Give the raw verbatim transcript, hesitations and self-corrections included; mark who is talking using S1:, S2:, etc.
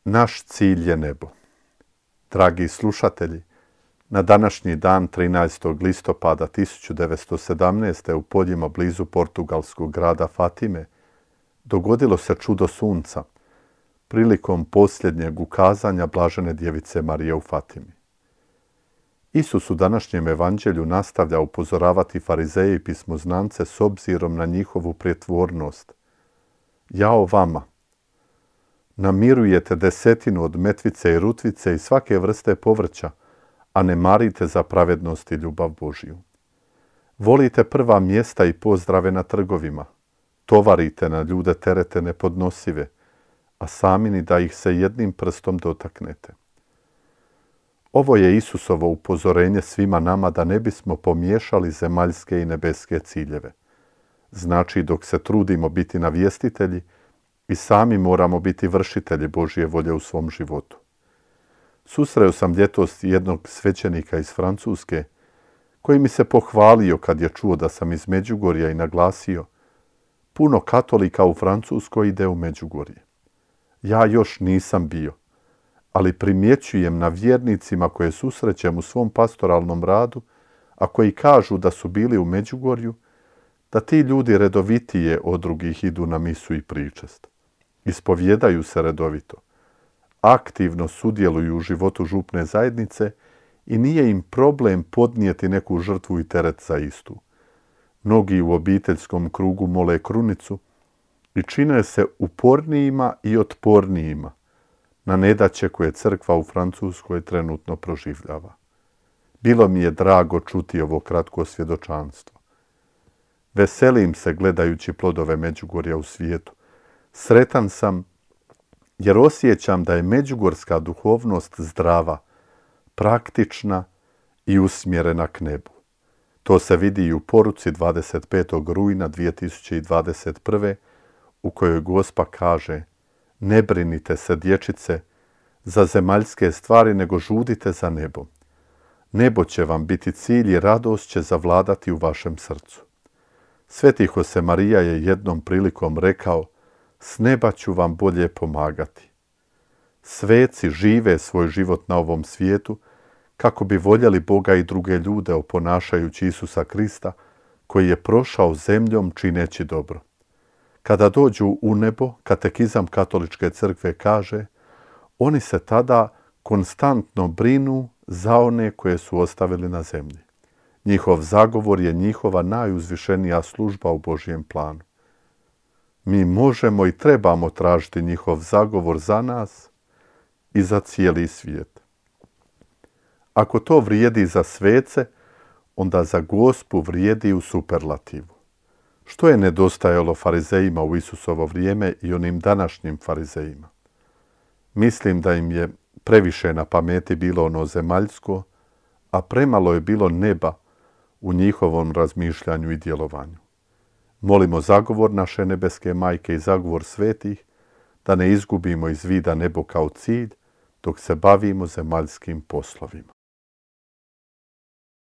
S1: Naš cilj je nebo. Dragi slušatelji, na današnji dan trinaestog listopada tisuću devetsto sedamnaeste. u poljima blizu portugalskog grada Fatime dogodilo se čudo sunca prilikom posljednjeg ukazanja blažene djevice Marije u Fatimi. Isus u današnjem evanđelju nastavlja upozoravati farizeje i pismoznance s obzirom na njihovu prijetvornost. Jao vama! Namirujete desetinu od metvice i rutvice i svake vrste povrća, a ne marite za pravednost i ljubav Božju. Volite prva mjesta i pozdrave na trgovima. Tovarite na ljude terete nepodnosive, a sami ni da ih se jednim prstom dotaknete. Ovo je Isusovo upozorenje svima nama da ne bismo pomiješali zemaljske i nebeske ciljeve. Znači, dok se trudimo biti navjestitelji, i sami moramo biti vršitelji Božje volje u svom životu. Susreo sam ljetos jednog svećenika iz Francuske, koji mi se pohvalio kad je čuo da sam iz Međugorja i naglasio: puno katolika u Francuskoj ide u Međugorje. Ja još nisam bio, ali primjećujem na vjernicima koje susrećem u svom pastoralnom radu, a koji kažu da su bili u Međugorju, da ti ljudi redovitije od drugih idu na misu i pričest. Ispovjedaju se redovito, aktivno sudjeluju u životu župne zajednice i nije im problem podnijeti neku žrtvu i teret za istu. Mnogi u obiteljskom krugu mole krunicu i čine se upornijima i otpornijima na nedaće koje crkva u Francuskoj trenutno proživljava. Bilo mi je drago čuti ovo kratko svjedočanstvo. Veselim se gledajući plodove Međugorja u svijetu. Sretan sam jer osjećam da je međugorska duhovnost zdrava, praktična i usmjerena k nebu. To se vidi i u poruci dvadeset petog rujna dvije tisuće dvadeset prve. u kojoj Gospa kaže: ne brinite se, dječice, za zemaljske stvari, nego žudite za nebo. Nebo će vam biti cilj i radost će zavladati u vašem srcu. Sveti Josemarija je jednom prilikom rekao: s neba ću vam bolje pomagati. Sveci žive svoj život na ovom svijetu kako bi voljeli Boga i druge ljude oponašajući Isusa Krista, koji je prošao zemljom čineći dobro. Kada dođu u nebo, katekizam Katoličke crkve kaže, oni se tada konstantno brinu za one koje su ostavili na zemlji. Njihov zagovor je njihova najuzvišenija služba u Božjem planu. Mi možemo i trebamo tražiti njihov zagovor za nas i za cijeli svijet. Ako to vrijedi za svece, onda za Gospu vrijedi u superlativu. Što je nedostajalo farizejima u Isusovo vrijeme i onim današnjim farizejima? Mislim da im je previše na pameti bilo ono zemaljsko, a premalo je bilo neba u njihovom razmišljanju i djelovanju. Molimo zagovor naše nebeske majke i zagovor svetih, da ne izgubimo iz vida nebo kao cilj, dok se bavimo zemaljskim poslovima.